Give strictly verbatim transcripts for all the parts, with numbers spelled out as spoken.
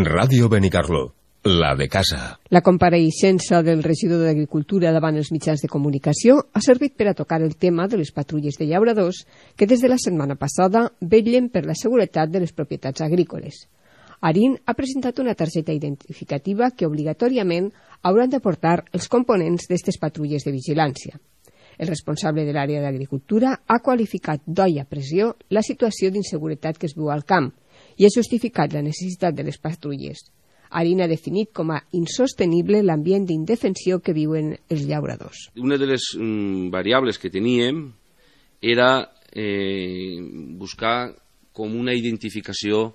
Ràdio Benicarló, la de casa. La compareixença del regidor d'Agricultura davant els mitjans de comunicació ha servit per a tocar el tema de les patrulles de llauradors que des de la setmana passada vetllen per la seguretat de les propietats agrícoles. Arín ha presentat una targeta identificativa que obligatòriament hauran de portar els components d'aquestes patrulles de vigilància. El responsable de l'àrea d'Agricultura ha qualificat d'olla a pressió la situació d'inseguretat que es viu al camp i ha justificat la necessitat de les patrulles. Arín ha definit com a insostenible l'ambient d'indefensió que viuen els llauradors. Una de les mm, variables que teníem era eh, buscar com una identificació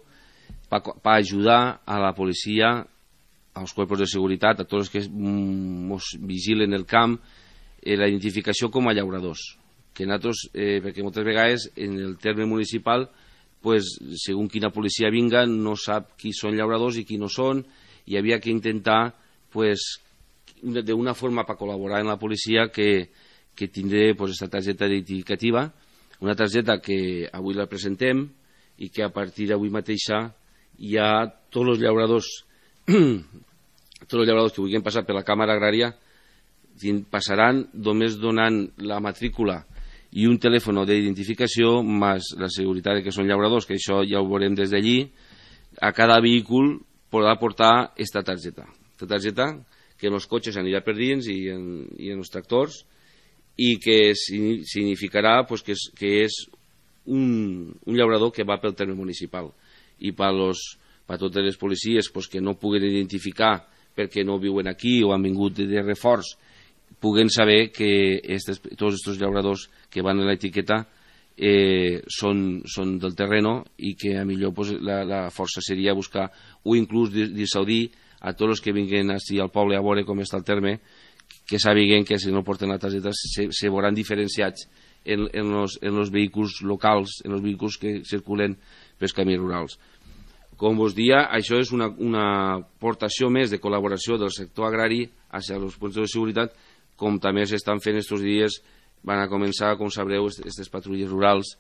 per pa ajudar a la policia, als cuerpos de seguretat, a tots els que ens vigilen el camp, eh, la identificació com a llauradors. Que nosaltres, eh, perquè moltes vegades en el terme municipal, pues, segons quina policia vinga, no sap qui són llauradors i qui no són, i havia que intentar, pues, d'una forma per col·laborar amb la policia que, que tindré pues, esta targeta identificativa, una targeta que avui la presentem i que a partir d'avui mateixa hi ha tots els llauradors tots els llauradors que vulguin passar per la Càmera Agrària passaran només donant la matrícula i un telèfon d'identificació més la seguretat que són llauradors, que això ja ho veurem des d'allí. A cada vehícul podrà portar aquesta targeta. Aquesta targeta que en els cotxes anirà per dins i en, i en els tractors i que significarà pues, que és, que és un, un llaurador que va pel terme municipal. I per, los, per totes les policies pues, que no puguen identificar perquè no viuen aquí o han vingut de reforç, puguen saber que estes, tots aquests llauradors que van a l'etiqueta eh, són, són del terreno i que a millor pues, la, la força seria buscar o inclús dissuadir a tots els que vinguin així al poble a veure com està el terme, que sàpiguen que si no porten la targeta se, se veuran diferenciats en, en, los, en los vehicles locals, en els vehicles que circulen pels camins rurals. Com vos dia, això és una, una aportació més de col·laboració del sector agrari hacia els punts de seguretat, com també s'estan fent estos dies, van a començar, com sabreu, aquestes patrulles rurals,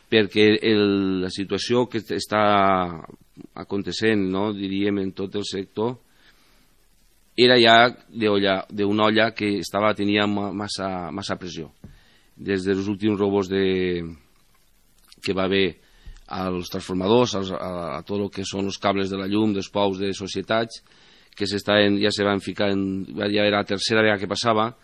perquè el, la situació que està acontecent, no, diríem, en tot el sector, era ja d'una olla que estava, tenia massa, massa pressió. Des dels últims robos de, que va haver als transformadors, als, a, a tot el que són els cables de la llum, dels pous de societats, que ja se van ficar, en, ja era la tercera vegada que passava,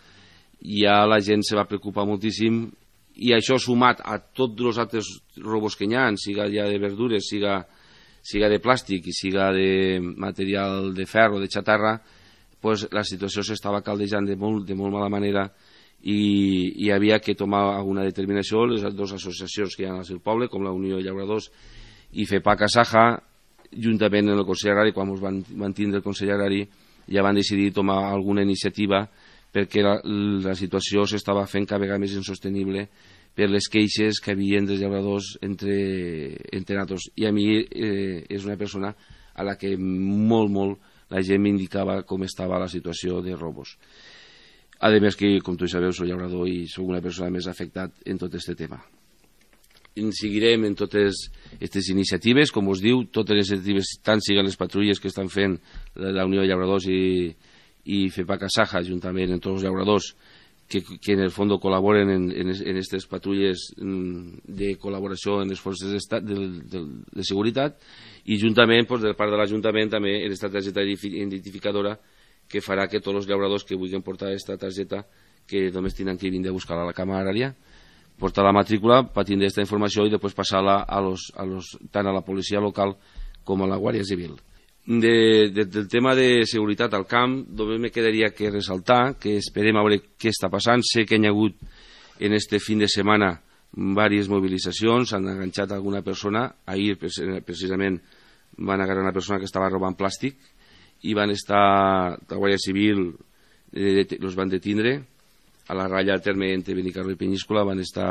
ja la gent se va preocupar moltíssim, i això sumat a tots els altres robos que hi ha, siga ja de verdures, siga, siga de plàstic i siga de material de ferro, de xatarra, pues la situació s'estava caldejant de molt, de molt mala manera i hi havia que tomar alguna determinació. Les dues associacions que hi ha al poble, com la Unió de Llauradors i FEPAC Asaja, juntament amb el Consell Agrari, quan ens van, van tindre el Consell Agrari, ja van decidir tomar alguna iniciativa perquè la, la situació s'estava fent cada vegada més insostenible per les queixes que havien dels llauradors entre, entre nosaltres. I a mi eh, és una persona a la que molt, molt la gent m'indicava com estava la situació de robos. A més que, com tu sabeu, soc llaurador i soc una persona més afectat en tot aquest tema. Seguirem en totes aquestes iniciatives, com us diu, totes les iniciatives, tant siguen les patrulles que estan fent la Unió de Llauradors i, i FEPAC Asaja, juntament amb tots els llauradors que, que en el fons col·laboren en aquestes patrulles de col·laboració en les forces de, de, de, de seguretat, i juntament, pues, de part de l'Ajuntament, també en aquesta targeta identificadora que farà que tots els llauradors que vulguin portar aquesta targeta, que només tenen que vindre a buscar-la a la Càmera Agrària, portar la matrícula per tindre aquesta informació i després passar-la a los, a los, tant a la policia local com a la Guàrdia Civil. De, de, del tema de seguretat al camp, només me quedaria que ressaltar que esperem a veure què està passant. Sé que hi ha hagut en este fin de setmana diverses mobilitzacions, han enganxat alguna persona. Ahir precisament van agarrar una persona que estava robant plàstic i van estar, la Guàrdia Civil eh, els van detindre a la ratlla al terme entre Benicarló i Penyíscola. Van estar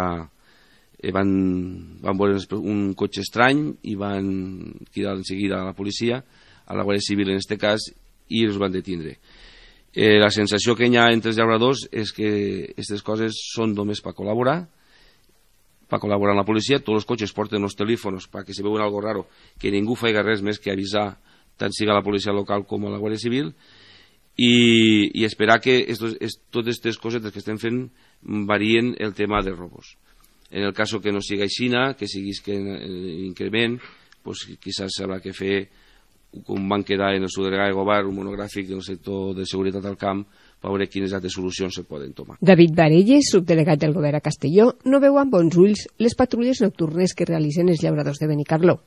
eh, van, van veure un cotxe estrany i van cridar en seguida a la policia, a la Guàrdia Civil en aquest cas, i els van detindre. Eh, la sensació que hi ha entre els llauradors és que aquestes coses són només per col·laborar, per col·laborar amb la policia. Tots els cotxes porten els telèfons perquè si veuen algo raro, que ningú faci res més que avisar tant siga la policia local com la Guàrdia Civil, i, i esperar que estos, est, totes aquestes cosetes que estem fent varien el tema de robos. En el cas que no siga aixina, que sigui que increment, pues, quizás habrá que fer, com van quedar en el seu delegat de govern, un monogràfic del sector de seguretat al camp, per veure quines altres solucions se poden tomar. David Varelles, subdelegat del govern a Castelló, no veu amb bons ulls les patrulles nocturnes que realitzen els llauradors de Benicarló.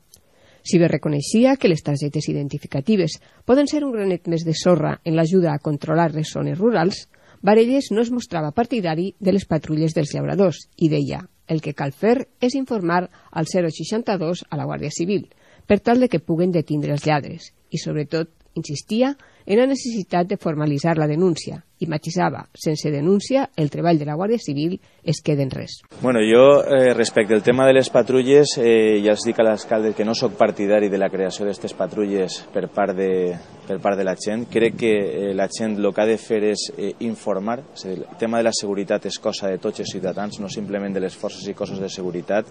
Si bé reconeixia que les targetes identificatives poden ser un granet més de sorra en l'ajuda a controlar les zones rurals, Varelles no es mostrava partidari de les patrulles dels llauradors i deia: el que cal fer és informar al zero seixanta-dos a la Guàrdia Civil, per tal de que puguen detindre els lladres, i sobretot insistia en la necessitat de formalitzar la denúncia i matisava, sense denúncia, el treball de la Guàrdia Civil es queda en res. Bueno, jo, eh, respecte al tema de les patrulles, eh, ja els dic a l'alcalde que no sóc partidari de la creació d'aquestes patrulles per part de, per part de la gent. Crec que eh, la gent el que ha de fer és eh, informar. És a dir, el tema de la seguretat és cosa de tots els ciutadans, no simplement de les forces i cossos de seguretat,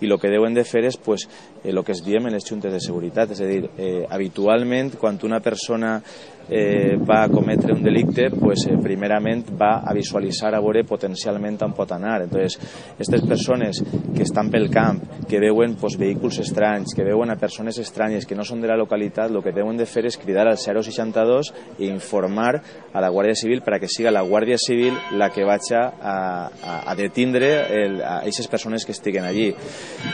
i el que deuen de fer és pues, eh, el que es diem en les juntes de seguretat. És a dir, eh, habitualment, quan una persona eh, va a cometre un delicte, pues, eh, primerament va a visualitzar a veure potencialment on pot anar. Entonces, aquestes persones que estan pel camp, que veuen pues, vehicles estranys, que veuen a persones estranyes que no són de la localitat, el que deuen de fer és cridar al zero seixanta-dos i informar a la Guàrdia Civil per a que siga la Guàrdia Civil la que vagi a, a, a detindre el, a aquestes persones que estiguen allí.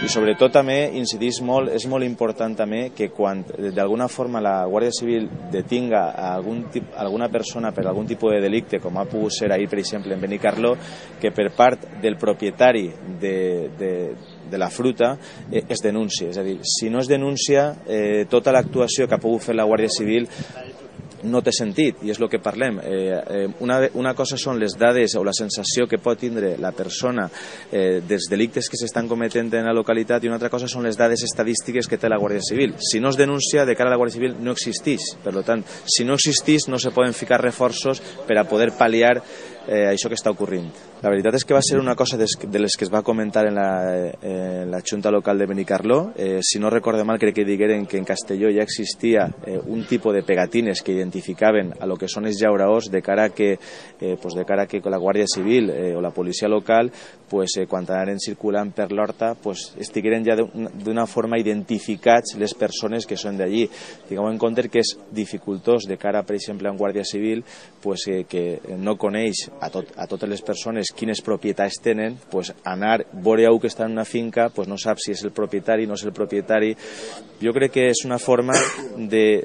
I sobretot també incidís molt, és molt important també que quan d'alguna forma la Guàrdia Civil detinga a algun tip, alguna persona per algun tipus de delicte, com ha pogut ser ahir, per exemple, en Benicarló, que per part del propietari de, de, de la fruta eh, es denuncia. És a dir, si no es denuncia, eh, tota l'actuació que ha pogut fer la Guàrdia Civil no té sentit, i és el que parlem. Eh, eh, una, una cosa són les dades o la sensació que pot tindre la persona eh, dels delictes que s'estan cometent en la localitat, i una altra cosa són les dades estadístiques que té la Guàrdia Civil. Si no es denuncia, de cara a la Guàrdia Civil no existeix. Per tant, si no existeix, no se poden ficar reforços per a poder pal·liar eh, això que està ocorrint. La veritat és que va ser una cosa des, de les que es va comentar en la, eh, en la Junta Local de Benicarló. Eh, si no recorde mal, crec que digueren que en Castelló ja existia eh, un tipus de pegatines que identificaven a lo que són els llauradors de cara a que, eh, pues de cara a que la Guàrdia Civil eh, o la policia local pues, eh, quan anaren circulant per l'horta pues, estigueren ja d'una forma identificats les persones que són d'allí. Tingueu en compte que és dificultós de cara, per exemple, a un Guàrdia Civil pues, eh, que no coneix a, tot, a totes les persones quines propietats tenen, pues, anar, veure algú que està en una finca, pues, no sap si és el propietari, no és el propietari. Jo crec que és una forma de,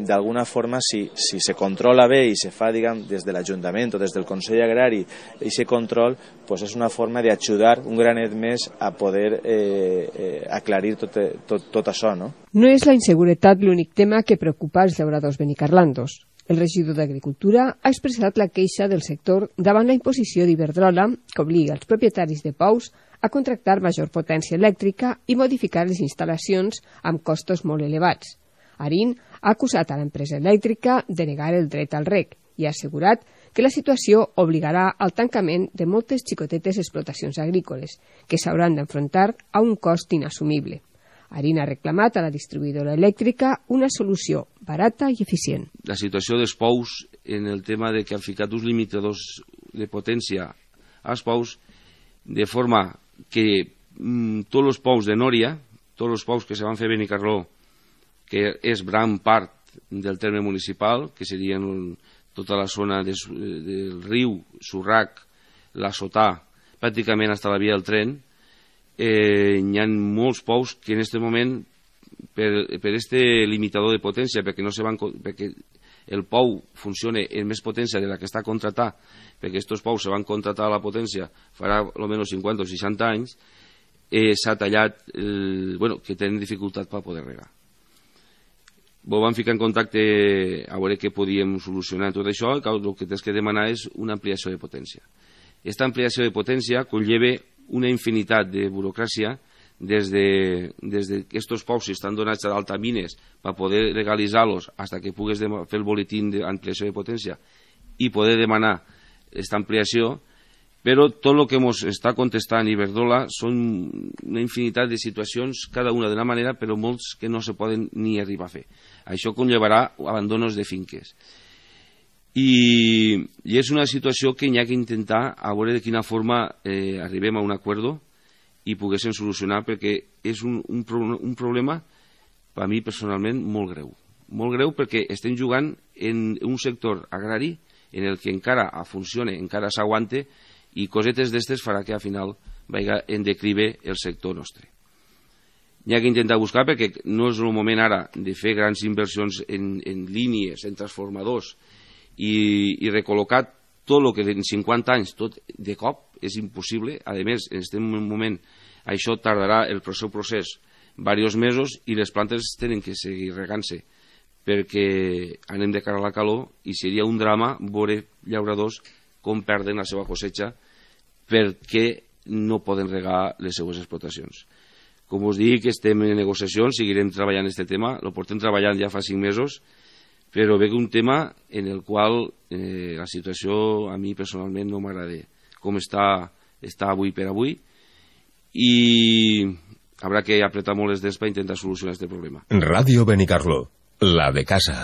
d'alguna forma, si, si se controla bé i se fa, diguem, des de l'Ajuntament o des del Consell Agrari, i aquest control, pues, és una forma d'ajudar un granet més a poder eh, eh, aclarir tot, tot, tot això, no? No és la inseguretat l'únic tema que preocupa els llauradors benicarlandos. El regidor d'Agricultura ha expressat la queixa del sector davant la imposició d'Iberdrola que obliga els propietaris de pous a contractar major potència elèctrica i modificar les instal·lacions amb costos molt elevats. Arín ha acusat a l'empresa elèctrica de negar el dret al reg i ha assegurat que la situació obligarà al tancament de moltes xicotetes explotacions agrícoles que s'hauran d'enfrontar a un cost inassumible. Arín ha reclamat a la distribuïdora elèctrica una solució barata i eficient. La situació dels pous en el tema de que han ficat uns limitadors de potència als pous de forma que mm, tots els pous de Nòria, tots els pous que se van fer a Benicarló, que és gran part del terme municipal, que serien tota la zona de, del riu, Surrac, la Sotà, pràcticament fins a la via del tren, eh, hi ha molts pous que en aquest moment, per, per este limitador de potència, perquè, no se van, perquè el pou funciona en més potència de la que està contratat, perquè aquests pous se van contratar a la potència farà almenys cinquanta o seixanta anys, eh, s'ha tallat, el, bueno, que tenen dificultat per poder regar. Vos vam ficar en contacte a veure què podíem solucionar tot això, i el que tens que demanar és una ampliació de potència. Aquesta ampliació de potència conlleva una infinitat de burocràcia des de, des de que estos pous estan donats a d'altamines per poder legalitzar-los fins que pugues fer el boletín d'ampliació de potència i poder demanar aquesta ampliació, Però tot el que ens està contestant Iberdrola són una infinitat de situacions, cada una d'una manera, però molts que no se poden ni arribar a fer. Això conllevarà abandonos de finques. I, i és una situació que hi ha que intentar a veure de quina forma eh, arribem a un acord i poguéssim solucionar, perquè és un, un, un problema, per a mi personalment, molt greu. Molt greu perquè estem jugant en un sector agrari en el que encara funciona, encara s'aguante, i cosetes d'estes farà que al final vagi en declive el sector nostre. N'hi ha que intentar buscar, perquè no és el moment ara de fer grans inversions en, en línies, en transformadors, i, i recol·locar tot el que en cinquanta anys, tot de cop, és impossible. A més, estem en un moment, això tardarà el seu procés diversos mesos i les plantes tenen que seguir regant-se, perquè anem de cara a la calor i seria un drama veure llauradors com perden la seva cosecha perquè no poden regar les seues explotacions. Com us dic, estem en negociacions, seguirem treballant en aquest tema, lo portem treballant ja fa cinc mesos, però veig un tema en el qual eh, la situació a mi personalment no m'agrada com està, està avui per avui, i haurà que apretar molt les dents per intentar solucionar aquest problema. Radio Benicarló, la de casa.